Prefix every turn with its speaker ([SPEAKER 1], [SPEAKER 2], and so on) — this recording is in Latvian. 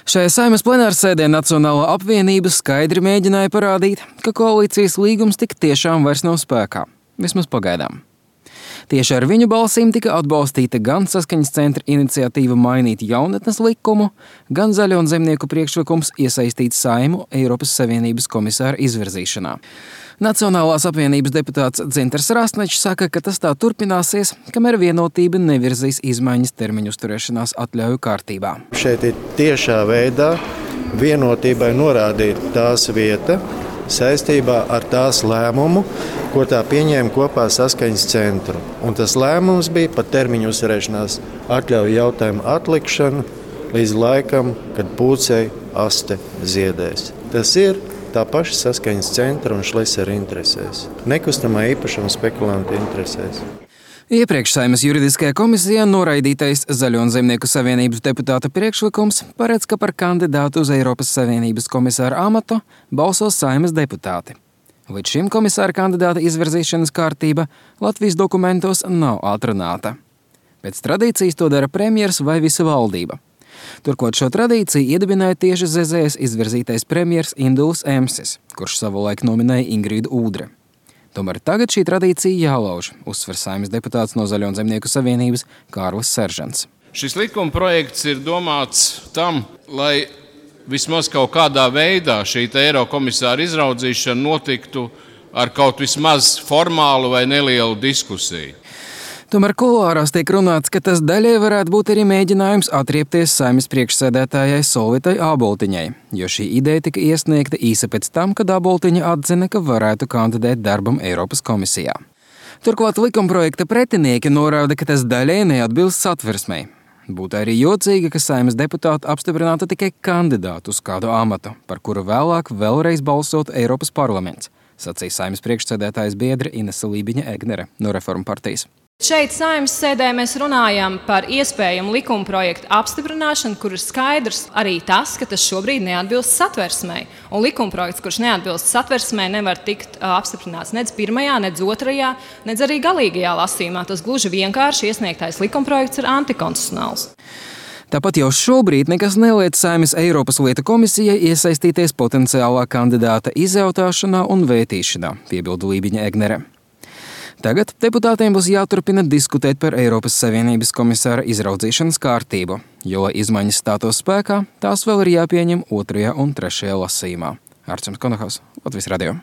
[SPEAKER 1] Šajā Saeimas plenārsēdē Nacionālā apvienība skaidri mēģināja parādīt, ka koalīcijas līgums tik tiešām vairs nav spēkā, vismaz pagaidām. Tieši ar viņu balsīm tika atbalstīta gan Saskaņas centra iniciatīva mainīt jaunatnes likumu, gan Zaļo un Zemnieku priekšlikums iesaistīt Saeimu Eiropas Savienības komisāra izvirzīšanā. Nacionālās apvienības deputāts Dzintars Rastnečs saka, ka tas tā turpināsies, kamēr Vienotība nevirzīs izmaiņas termiņu uzturēšanās atļauju kārtībā.
[SPEAKER 2] Šeit ir tiešā veidā Vienotībai norādīt tās vieta saistībā ar tās lēmumu, ko tā pieņēma kopā Saskaņas centru. Un tas lēmums bija par termiņu uzturēšanās atļauju jautājumu atlikšanu līdz laikam, kad pūcei aste ziedēs. Tas ir tā paša Saskaņas centra un Šlesera interesēs, nekustamā īpašuma spekulantu interesēs.
[SPEAKER 1] Iepriekš Saeimas juridiskajā komisijā noraidītais Zaļo un Zemnieku savienības deputāta priekšlikums paredz, ka par kandidātu uz Eiropas Savienības komisāra amatu balsos Saeimas deputāti. Līdz šim komisāra kandidāta izvirzīšanas kārtība Latvijas dokumentos nav atrunāta. Pēc tradīcijas to dara premjers vai visa valdība. Turklāt šo tradīciju iedibināja tieši ZZS izvirzītais premjers Induls Emsis, kurš savulaik nominēja Ingrīdu Ūdre. Tomēr tagad šī tradīcija jālauž, uzsver Saeimas deputāts no Zaļo un Zemnieku savienības Kārlis Seržants.
[SPEAKER 3] Šis likuma projekts ir domāts tam, lai vismaz kaut kādā veidā šī Eirokomisāra izraudzīšana notiktu ar kaut vismaz formālu vai nelielu diskusiju.
[SPEAKER 1] Tomēr kuluārās tiek runāts, ka tas daļai varētu būt arī mēģinājums atriepties Saeimas priekšsēdētājai Solvitai Āboltiņai, jo šī ideja tika iesniegta īsi pēc tam, kad Āboltiņa atzina, ka varētu kandidēt darbam Eiropas komisijā. Turklāt likumprojekta pretinieki norāda, ka tas daļai neatbilst satversmei. Būtu arī jocīgi, ka Saeimas deputāti apstiprinātu tikai kandidātu uz kādu amatu, par kuru vēlāk vēlreiz balsotu Eiropas parlaments, sacīja Saeimas priekšsēdētājas biedre Inese Lībiņa-Egnere no Reformu partijas.
[SPEAKER 4] Šeit Saeimas sēdē mēs runājam par iespējamu likumprojektu apstiprināšanu, kur ir skaidrs arī tas, ka tas šobrīd neatbilst satversmei. Un likumprojekts, kurš neatbilst satversmei, nevar tikt apstiprināts nec pirmajā, nec otrajā, nec arī galīgajā lasījumā. Tas gluži vienkārši iesniegtais likumprojekts ir antikonstitucionāls.
[SPEAKER 1] Tāpat jau šobrīd nekas neliedz Saeimas Eiropas lietu komisijai iesaistīties potenciālā kandidāta izjautāšanā un vētīšanā, piebilda Lībiņa-Egnere. Tagad deputātiem būs jāturpina diskutēt par Eiropas Savienības komisāra izraudzīšanas kārtību, jo, lai izmaiņas stātos spēkā, tās vēl ir jāpieņem 2. un 3. lasījumā. Arčuns Konohaus, Latvijas radio.